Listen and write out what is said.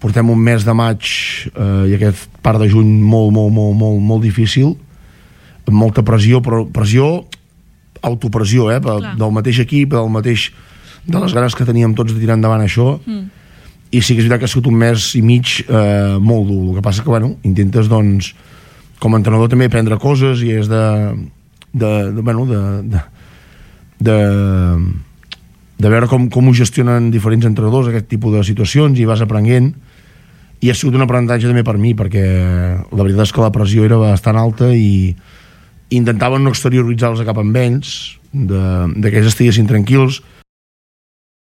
portem un mes de maig i aquest part de juny molt difícil, amb molta pressió, però pressió, autopressió, del mateix equip, de les ganes que teníem tots de tirar endavant això, i sí que és veritat que ha sigut un mes i mig molt dur. El que passa que, intentes, doncs, com a entrenador també prendre coses i és de veure com ho gestionen diferents entrenadors aquest tipus de situacions, i vas aprenent, i ha sigut un aprenentatge també per mi, perquè la veritat és que la pressió era bastant alta i intentaven no exterioritzar-los cap amb ells, que ells estiguessin tranquils,